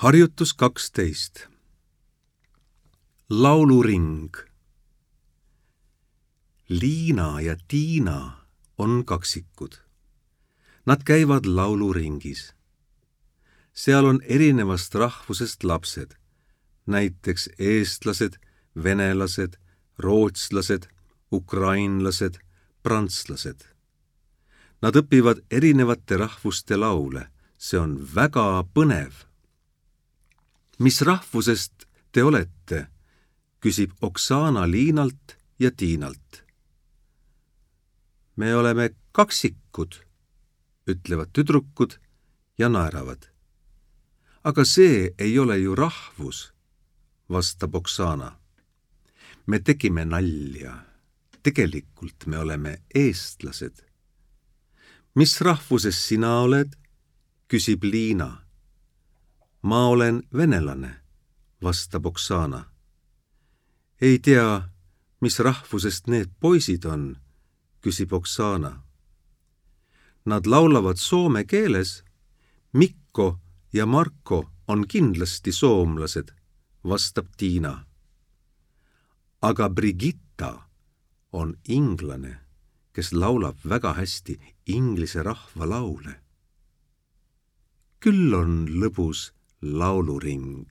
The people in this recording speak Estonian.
Harjutus 12. Lauluring. Liina ja Tiina on kaksikud. Nad käivad lauluringis. Seal on erinevast rahvusest lapsed, näiteks eestlased, venelased, rootslased, ukrainlased, prantslased. Nad õpivad erinevate rahvuste laule. See on väga põnev. Mis rahvusest te olete? Küsib Oksana Liinalt ja Tiinalt. Me oleme kaksikud, ütlevad tüdrukud ja naeravad. Aga see ei ole ju rahvus, vastab Oksana. Me tegime nalja. Tegelikult me oleme eestlased. Mis rahvuses sina oled? Küsib Liina. Ma olen venelane, vastab Oksana. Ei tea, mis rahvusest need poisid on, küsib Oksana. Nad laulavad soome keeles. Mikko ja Marko on kindlasti soomlased, vastab Tiina. Aga Brigitta on inglane, kes laulab väga hästi inglise rahvalaule. Küll on lõbus lauluring.